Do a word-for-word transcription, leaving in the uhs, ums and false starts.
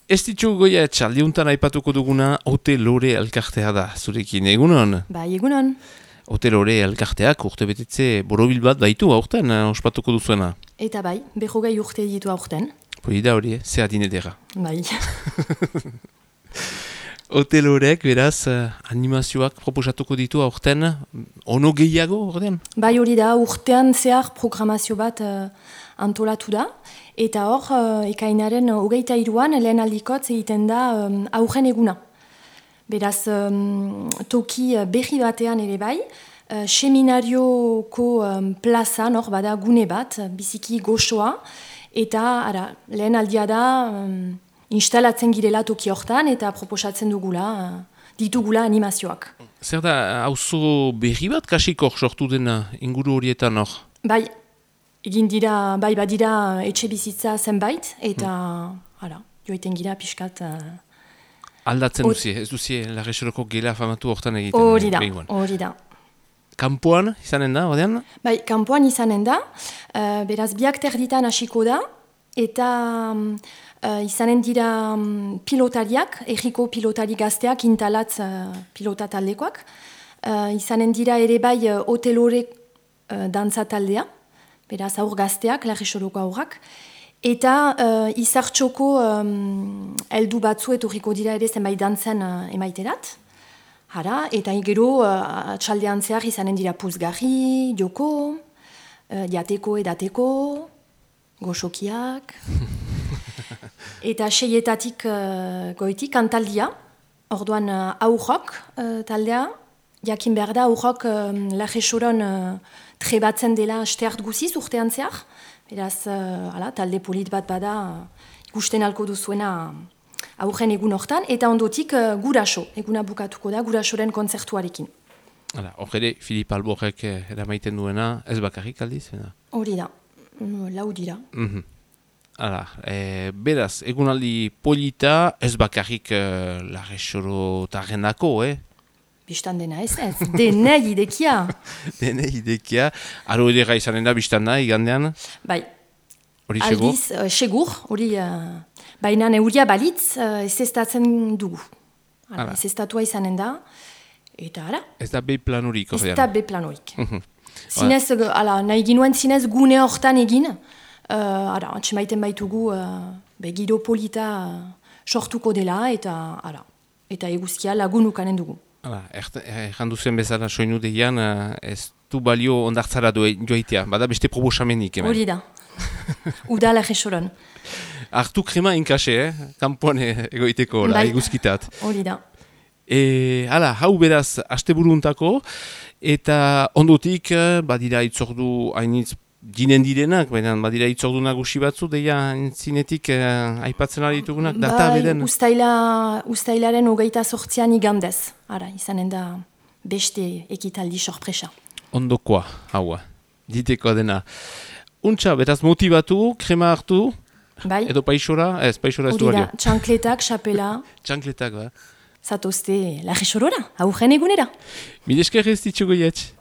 Ez ditu goia txaldiuntan aipatuko duguna Ote Lore elkartea da, zurekin, egunon? Bai, egunon. Ote Lore elkarteak urte betetze borobil bat baitu aurten, eh, ospatuko duzuena. Eta bai, behogei urte ditu aurten. Poi da hori, eh? Ze adinedera. Bai. Ote Loreek beraz eh, animazioak proposatuko ditu aurten, ono gehiago ordean? Bai hori da, urtean zehar programazio bat uh, antolatu da. Eta hor, uh, ekainaren hogeita iruan, lehen aldikotz egiten da um, aurren eguna. Beraz, um, toki berri batean ere bai, uh, seminarioko um, plazan, hor bada gune bat, biziki goxoa, eta ara, lehen aldia da um, instalatzen girela toki hortan, eta proposatzen dugula, uh, ditugula animazioak. Zer da, auzo berri bat kasik hor sortu dena inguru horietan hor? Bai, egin dira, bai badira etxe bizitza zenbait, eta hala, joiten gira pixkat. Uh, Aldatzen duzie, ez duzie Larresoroko gela famatu hortan egiten. Hori da, hori da. Kampuan izanen da, ordean? Bai, kampuan izanen da, uh, beraz biak terditan hasiko da, eta uh, izanen dira um, pilotariak, erriko pilotari gazteak, intalatz uh, pilota taldekoak, uh, izanen dira ere bai uh, Ote Lore uh, dantza taldea, beraz aur gazteak, Larresoroko aurrak, eta uh, izartxoko um, eldu batzu etorriko dira ere zenbait dantzen uh, emaiterat. Hara, eta gero uh, txaldean zehar izanen dira puzgarri, joko, uh, jateko edateko, goxokiak, eta seietatik uh, goitik kantaldia, orduan uh, aurrok uh, taldea, jakin behar da aurrok um, Larresoron uh, trebatzen dela steart guziz urtean zehar. Beraz, uh, ala, talde polit bat bada uh, ikusten alko duzuena uh, aurren egun hortan, eta ondotik uh, guraso, eguna bukatuko da, gurasoren kontzertuarekin. Hala, hor ere, Filip Alborrek eramaiten duena, ez bakarrik aldiz? Hori da, mm, lau dira. Mm-hmm. Hala, e, beraz, egunaldi polita, ez bakarrik uh, Larresoro tarrenako, eh? Bistan dena ez ez, denei idekia. Denei idekia. Aro edera izanen da bistan da, igandean? Bai. Hori segur? Aldiz, uh, segur, hori, uh, baina neuria balitz, uh, ez eztatzen dugu. Ara, ez eztatua izanen da, eta ara. Ez da be planurik, horrean? Ez da be planurik. Zinez, ala, nahi ginuen zinez gune hortan egin, uh, ara, atxemaiten baitugu, uh, begiro polita uh, sortuko dela, eta ara, eta eguzkia lagunukanen dugu. Erran duzen bezala soinu deian, ez du balio ondartzara joaitea, bada beste probosamenik. Hori da, uda Larresoron. Artu krema inkase, eh? Kampuan egoiteko, eguzkitat. Hori da. E, hala, hau beraz, asteburuntako, eta ondotik, badira itzordu hainitz ginen direnak, baina badira itzordu nagusi batzu, deia zinetik eh, aipatzen ari ditugunak, data beden? Bai, ustaila, ustailaren hogeita sortzian igandez. Ara, izanen da beste ekitaldi sorpresa. Ondokoa, haua, diteko dena. Untxa, beraz motibatu, krema hartu, bai. Edo paixora, ez, paixora ez du balio. Txankletak, xapela. Txankletak, ba. Zatozte Larresorora, aurren egunera. Milesker ez ditxugo jetx.